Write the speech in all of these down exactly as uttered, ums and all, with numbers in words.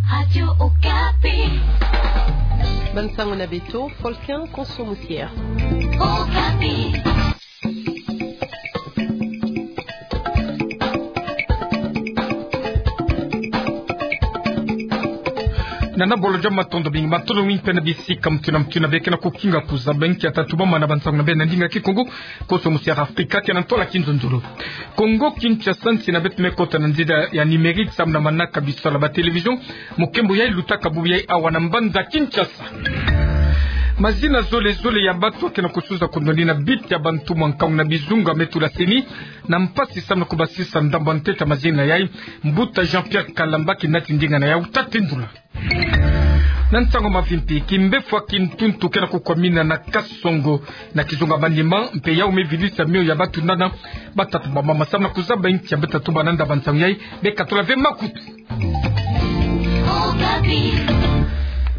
Radio Okapi. Bansango na beto, Folkin Konso Musier. Okapi. Nana bolo dia matondo mingi, matondo mingi mpe na bisika mutu na mutu na beke na kukinga kuzaba nkia tatuba mana bansango na beno na ndinga Kikongo. Konso Musier Afrika, kena ntola kinzonzolo. Kongo Kinshasa, nsi na beto me kota na nzila ya numérique, samu na manaka bisalu ya ba télévision. Mukembo yai lutaka bubu yai awa na mbanza Kinshasa. Mazina zole zole ya batu kena kusuza kundoni na biti ya bantu mwa nkangu na bizunga me tula CENI na mpasi samu na kubasisa ndambu ya ntete ya mazina yai. Mbuta Jean-Pierre Kalamba, kina ti ndinga na yau, ta tendula. Na nsangu mavimpi, kimbefwa kintuntu kena kukwamina na Kasongo na kizunga Maniema, mpe yau me vilisa mio ya batu nana batata bamama. Samu na kuzaba nkia beta tuba na ndambu ya nsangu yai, beka tula ve makutu.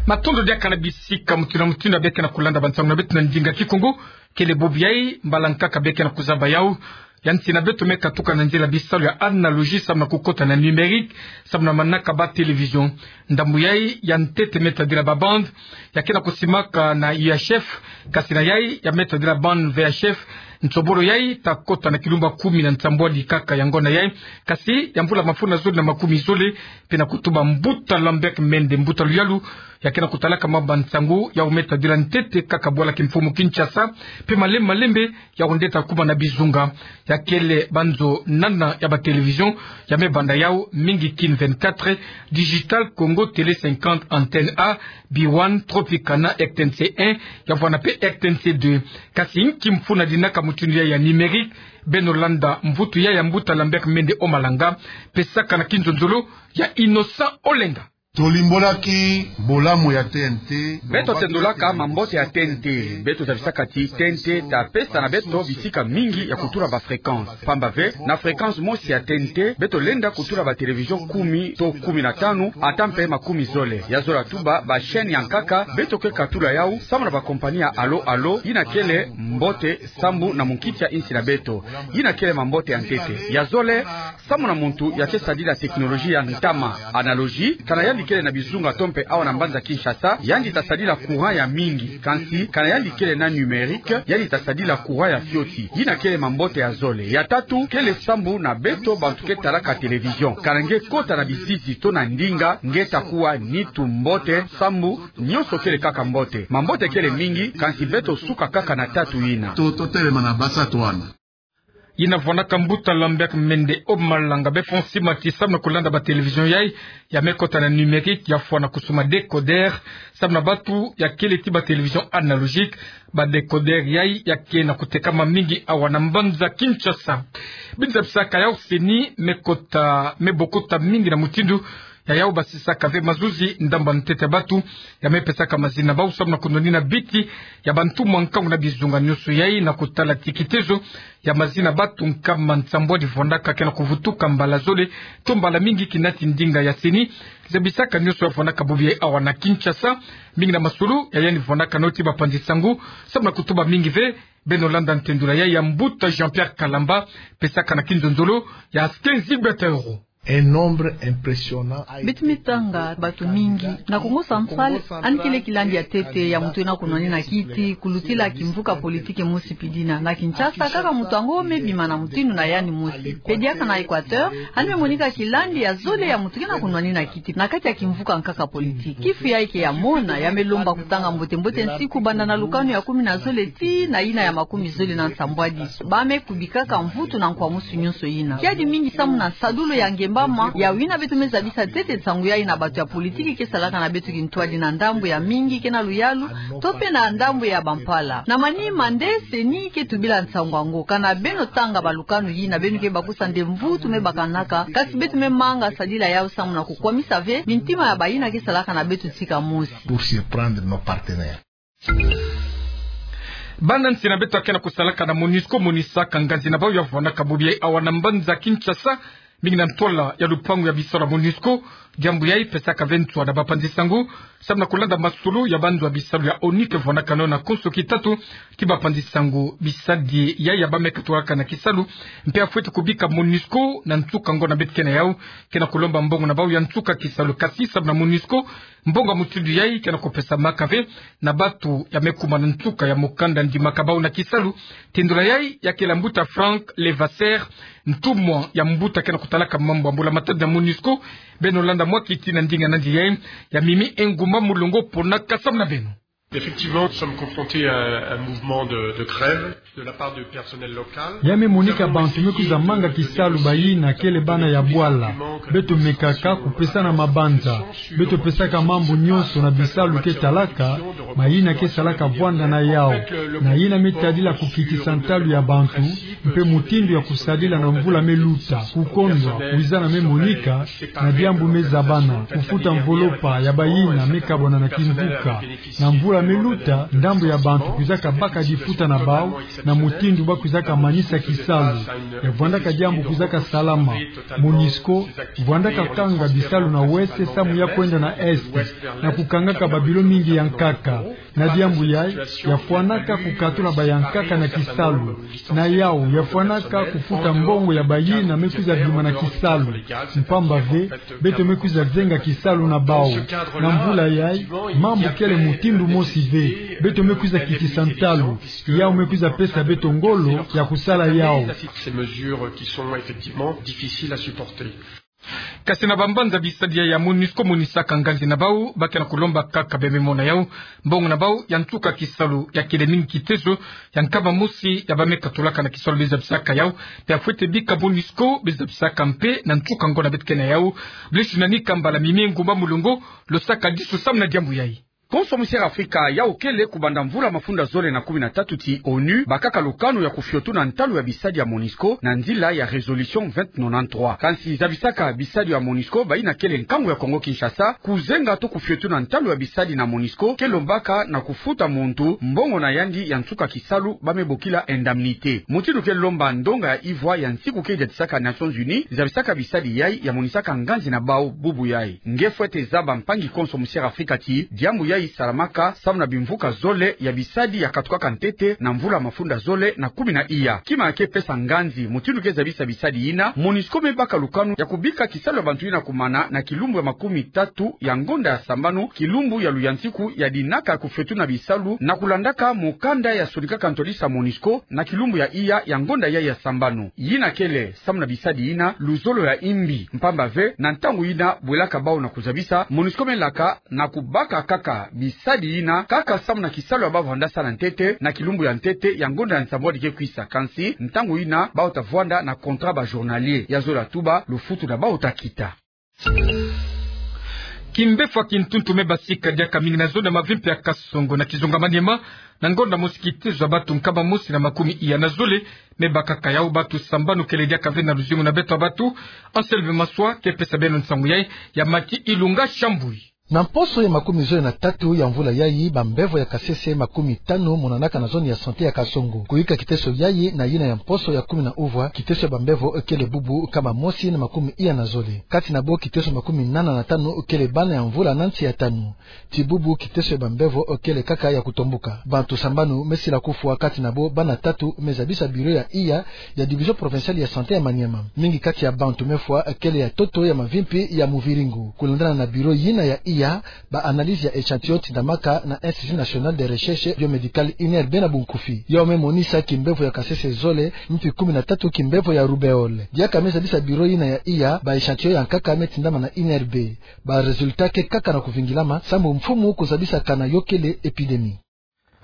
Matondo diaka na bisika mutu na mutu na beke na kulanda bansango na beto na ndinga Kikongo. Kele bubu yai mbala nkaka beke na kuzaba yau. Ya nsi na beto me katuka na nzila bisalu ya analogie samu na kukota na numérique, samu na manaka ba télévision. Ndambu yai ya ntete me tadila ba bande ya kena kusimaka na U H F, kasi na yai ya me tadila bande V H F. Nsobolo yai ta kota na kilumbu kumi na nsambwadi kaka ya ngonda yai, kasi ya mvula mafunda zole na makumi zole. Mpe na kutuba mbuta Lambert Mende, mbuta luyalu ya kena kutalaka mambu ya nsangu, yau me tadila ntete kaka bwala kimfumu Kinshasa, mpe malembe malembe yau nde ta kuma na bizunga. Ya kele banzo nana ya ba télévision ya me banda yau mingi: Kin vingt-quatre, Digital Congo, Télé cinquante, Antenne A, B one, Tropicana, R T N C un, ya vwanda mpe R T N C deux. Kasi nki mfunu ya dinaka mutindu yai ya numérique? Beno landa mvutu yai ya mbuta Lambert Mende Omalanga, mpe sakana kinzonzolo ya Innocent Olenga. Tolimbolaki bolamu ya T N T. Beto tendolaka mambote ya T N T. Beto zabisaka ti T N T ta pesa na beto bisika mingi ya kutula ba fréquence. Pamba ve, na fréquence mosi ya T N T, beto lenda kutula ba télévision kumi to kumi na tanu, ata mpe makumi zole. Ya zola tuba, ba chaîne ya nkaka, beto ke katula yau samu na ba compagnie ya Allo Allo, yina kele mbote sambu na munkiti ya insi na beto. Yina kele mambote ya ntete. Ya zole, samu na muntu ya ke sadila technologie ya ntama, analogie, kana yandi kele na bizunga to mpe awa na mbanza Kinshasa, yandi ta sadila courant ya mingi. Kansi kana yandi kele na numérique, yandi ta sadila courant ya fioti. Yina kele mambote ya zole. Ya tatu, kele sambu na beto bantu ke talaka télévision. Kana nge kota na bizizi to na ndinga, nge ta kuwa nitu mbote, sambu nyonso kele kaka mbote. Mambote kele mingi, kansi beto suka kaka na tatu yina. To, totelema na basatu wana. Yina vwandaka mbuta Lambert Mende Omalanga. Befo nsi mati, samu na kulanda ba télévision yai ya me kota na numérique, ya fwana kusuma décodeur. Samu na bantu ya kele ti ba télévision analogique, ba décodeur yai ya ke na kutekama mingi awa na mbanza Kinshasa. Beno zabisaka yau CENI me kota, me bokota mingi na mutindu ya yau basisaka ve mazuzi ndambu ya ntete ya bantu ya me pesaka mazina na bau samu na kunwanina biti ya bantu mwa nkangu na bizunga. Nyonso yai na kutala ti kitezo ya mazina bantu nkama nsambwadi vwandaka ke na kuvutuka mbala zole to mbala mingi kina ti ndinga ya CENI. Zabisaka nyonso ya vwandaka bubu yai awa na Kinshasa. Mingi na masolo ya yandi vwandaka na yo ti bapanzi sangu samu na kutuba mingi ve. Beno landa ntendula yai ya mbuta Jean-Pierre Kalamba, mpe sakana kinzonzolo ya Skenzi Betero. Un nombre impressionnant a été. Beto me tanga bantu mingi na Kongo Central, yandi kele kilandi ya ntete ya muntu yina kunwanina kiti, kulutila kimvuka politique mosi pidina. Na Kinshasa, kaka muntu yango me bima na mutindu na yandi mosi. Mpe diaka na Équateur, yandi me monika kilandi ya zole ya muntu ke na kunwanina kiti na kati ya kimvuka nkaka politique. Kifu yai ke ya mona, ya me lomba kutanga mbote-mbote nsiku banda na lukanu ya kumi na zole tii na yina ya makumi zole na nsambwadi. Ba me kubikaka mvutu na nkwamusu nyonso yina. Kiadi mingi samu na nsadulu ya ngemba ma, yau yina beto me zabisa ntete nsangu yai na bantu ya politique ke salaka na beto kintwadi na ndambu ya mingi ke na luyalu, to mpe na ndambu ya bampala. Na manima nde CENI ke tubila nsangu yango. Kana beno tanga balukanu yina, beno ke bakusa nde mvutu me bakanaka, kasi beto me manga sadila yau samu na kukwamisa ve mintima ya bayina ke salaka na beto tika mosi. Pour surprendre nos partenaires. Bana nsi na beto ya ke na kusalaka na MONUSCO monisaka nganzi na bau ya vwandaka bubu yai awa na mbanza Kinshasa. mingi na ntwala ya lupangu ya bisalu ya MONUSCO. Diambu yai pesaka ve nswa na bapanzi-nsangu samu na kulanda masolo ya banzo ya bisalu ya ONU ke vwandaka nona konso kitatu ti bapanzi-nsangu. Bisadi yai ya bameka tulaka na kisalu mpe ya fwete kubika MONUSCO na nsuka ngonda beto ke na yau, ke na kulomba mbongo na bau ya nsuka kisalu. Kasi samu na MONUSCO, mbongo ya mutindu yai ke na kupesamaka ve na bantu ya me kuma na nsuka ya mukanda ndimaka bau na kisalu. Tindula yai ya kele ya mbuta Frank Levasseur, ntumwa ya mbuta ke na kutalaka mambu ya mbula matadi na MONUSCO. Beno landa mwa kiti na ndinga nandi yai, ya Mimi Engumba Mulongo ponaka samu na beno. Effectivement, nous sommes confrontés à un mouvement de, de grève de la part de personnel local. Ya me monika bantu me kwiza manga kisalu, bayina kele bana ya bwala. Beto mekaka kupesana mabanza. Beto pesaka mambu nyonso na bisalu ke talaka, mayina ke salaka vwanda na yau, na yina me tadila kukitisa ntalu ya bantu, mpe mutindu ya kusadila na mvula me luta, kukondwa, kwizana me monika, na diambu me zabana, kufuta mvolopa ya bayina me kabwana na kimvuka. Na mvula me luta, ndambu ya bantu kwizaka baka difuta na bau, na mutindu ba kwizaka manisa kisalu. Ya vwandaka diambu kwizaka salama. MONUSCO vwandaka kanga bisalu na ouest samu ya kwenda na est, na kukangaka ba bilo mingi ya nkaka. Na diambu yai, ya fwanaka kukatula bayankaka na kisalu. Na yau, ya fwanaka kufuta mbongo ya bayina me kwiza bima na kisalu. Mpamba ve, beto me kwiza zenga kisalu na bau. Na mvula yai, mambu kele mutindu mosi ve. Beto me kwiza kitisa ntalu. Yau me kwiza pesa beto ngolo ya kusala yau. Ces mesures qui sont effectivement difficiles à supporter. Kasi na bambanza bisadi yai ya MONUSCO monisaka nganzi na bau, ba ke na kulomba kaka, be me mona yau, mbongo na bau ya nsuka kisalu. Ya kele mingi kiteso ya nkama mosi ya bameka tulaka na kisalu be zabisaka yau, mpe ya fwete bika MONUSCO be zabisaka mpe na nsuka ngonda beto ke na yau. Blesi nani kambala Mimi Engumba Mulongo, lo saka disu samu na diambu yai. Konso Musière Afrika, yau kele kubanda mvula mafunda zole na kumi na tatu ti ONU bakaka lukanu ya kufiotuna ntalu ya bisadi ya MONUSCO na nzila ya résolution vingt nonante-trois. Kansi zabisaka bisadi ya MONUSCO, bayina kele nkangu ya Kongo Kinshasa, kuzenga to kufiotuna ntalu ya bisadi na MONUSCO ke lombaka na kufuta muntu mbongo na yandi ya nsuka kisalu, ba me bokila indemnité. Mutindu ke lomba ndonga ya ivwa ya nsiku ke diatisaka Nations Unies zabisaka bisadi yai ya monisaka nganzi na bau bubu yai. Nge fwete zaba, mpangi konso Musière Afrika, ti diambu yai salamaka samu na bimvuka zole ya bisadi ya katukaka ntete na mvula mafunda zole na kumi na iya. Kima ya ke pesa nganzi, mutindu ke zabisa bisadi yina, MONUSCO me baka lukanu ya kubika kisalu ya bantu yina kumana na kilumbu ya makumi tatu ya ngonda ya sambanu, kilumbu ya luyantiku ya dinaka ya kufiotuna bisalu, na kulandaka mukanda ya sonikaka ntwadisa MONUSCO na kilumbu ya iya ya ngonda yai ya sambanu. Yina kele samu na bisadi yina luzolo ya imbi, mpamba ve na ntangu yina bwelaka bau na kuzabisa, MONUSCO me laka na kubaka kaka bisadi yina kaka samu na kisalu ya ba vandasa na ntete na kilumbu ya ntete ya ngonda ya nsambwadi ke kwisa. Kansi ntangu yina bau ta vwanda na contrat ba journalier, ya zola tuba lufutu na bau ta kita. Kimbevo ya kintuntu me basika diaka mingi na zone ya Mavimpi ya Kasongo na kizunga Maniema, na ngonda mosi kitezo ya bantu nkama mosi na makumi iya na zole me bakaka yau. Bantu sambanu kele diaka ve na luzingu na beto ya bantu. Anselme Maswa ke pesa beno nsangu yai, ya Maki Ilunga Shambui. Na mposo ya makumi zole na tatu ya mvula yai, bambevo ya kasese makumi tanu monanaka na zone ya santé ya Kasongo. Kuyika kiteso yai na yina ya mposo ya kumi na uvwa, kiteso ya bambevo kele bubu nkama mosi na makumi iya na zole. Kati na bo, kiteso makumi nana na tanu kele bana ya mvula na nsi ya tanu. Ti bubu, kiteso ya bambevo kele kaka ya kutombuka. Bantu sambanu me sila kufwa, kati na bo bana tatu me zabisa bureau ya iya ya division provinciale ya santé ya Maniema. Mingi kati ya bantu me fwa kele ya ntoto ya Mavimpi ya Muviringo. Kulandana na bureau yina ya iya, ba analyse ya échantillon tindamaka na Institut National de Recherche Biomédicale, INRB na bunkufi. Yau me monisa kimbevo ya kasese zole, mpi kumi na tatu kimbevo ya roubeole. Diaka me zabisa bureau yina ya iya, ba échantillon ya nkaka me tindama na INRB. Ba résultat ke kaka na kuvingilama, sambu mfumu kuzabisa kana yo kele épidémie.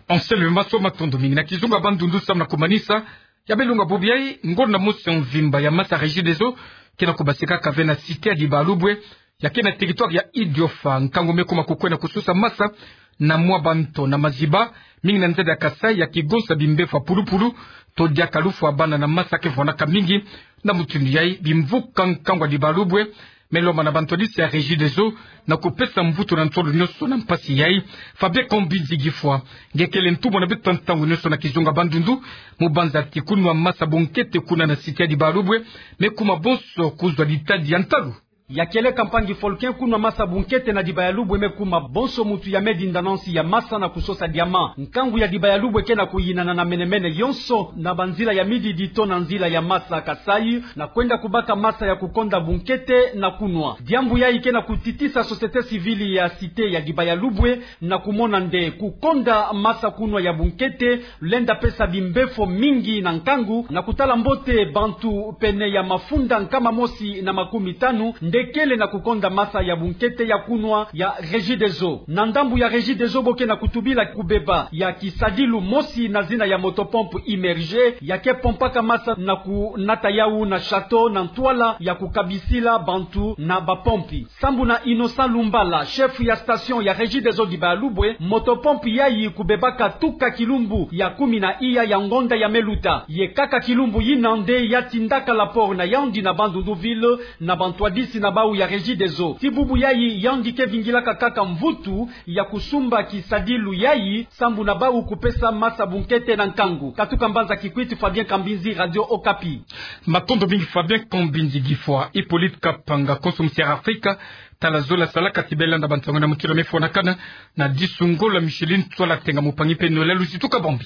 Anselme Maswa, matondo mingi. Na kizunga Bandundu, samu na kumanisa, ya belunga bubu yai, ngonda mosi ya mvimba ya masa Regideso ke na kubasikaka ve na cité ya Dibalubwe, ya ke na territoire ya Idiofa. Nkangu me kuma kukwenda kususa masa na mwa banto na maziba, mingi na nzeda ya Kasaï, ya kigonsa bimbevo ya pulupulu, to diaka lufwa bana na masa ke vwanaka mingi. Na mutindu yai, bimvuka nkangu ya Dibalubwe Me lomba na bantwadisi ya Regideso na kupesa mvutu na nsolo nyonso na mpasi yayi. Fabien Kambinzi Gifwa, nge kele ntumwa na beto ya ntangu nyonso na kizunga Bandundu, mu banza ti kunwa masa bunkete kuna na cité ya Dibayalubwe me kuma bonso kuzwa ditadi ya ntalu. Ya kieleka mpangi Folkin, kunwa masa bunkete na Dibayalubwe me kuma bonso muntu ya medi ndanansi ya masa na kusosa diamant. Nkangu ya Dibayalubwe ke na kuyinana na menemene yonso na banzila ya mididi to na nzila ya masa Kasaï, na kwenda kubaka masa ya kukonda bunkete na kunwa. Diambu yayi ke na kutitisa société civile ya cité ya Dibayalubwe na kumona nde kukonda masa kunwa ya bunkete lenda pesa bimbefo mingi na nkangu, na kutala mbote bantu pene ya mafunda nkama mosi na makumi tanu nde kele na kukonda masa ya bunkete ya kunwa ya Regideso. Na ndambu ya Regideso bo ke na kutubila kubeba ya kisadilu mosi na zina ya motopompe immergée, ya ke pompaka masa na kunata yawu na château na ntwala ya kukabisila bantu na bapompe. Sambu na Innocent Lumbala, chef ya station ya Regideso Dibayalubwe, motopompe yayi kubebaka tuka kilumbu ya kumi na iya ya ngonda ya me luta. Ye kaka kilumbu yina nde ya tindaka rapport na yandi na Bandundu ville na bantwadisi na bawu ya Regideso. Ti bubu yayi, yandi ke vingilaka kaka mvutu ya kusumba kisadilu yayi, sambu na bawu kupesa masa bunkete na nkangu. Katuka mbanza Kikwit, Fabien Kambinzi, Radio Okapi. Matondo mingi Fabien Kambinzi Gifwa. Hippolyte Kapanga, konso musiara Afrika, tala zola salaka ti bê landa bansangu na mukila mefwanakana na disungola Micheline Tswala Tenga, mupangi pene Noël Luzitu Kabambi.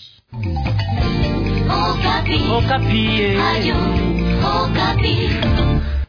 Okapi. Okapi, eh. Radio Okapi.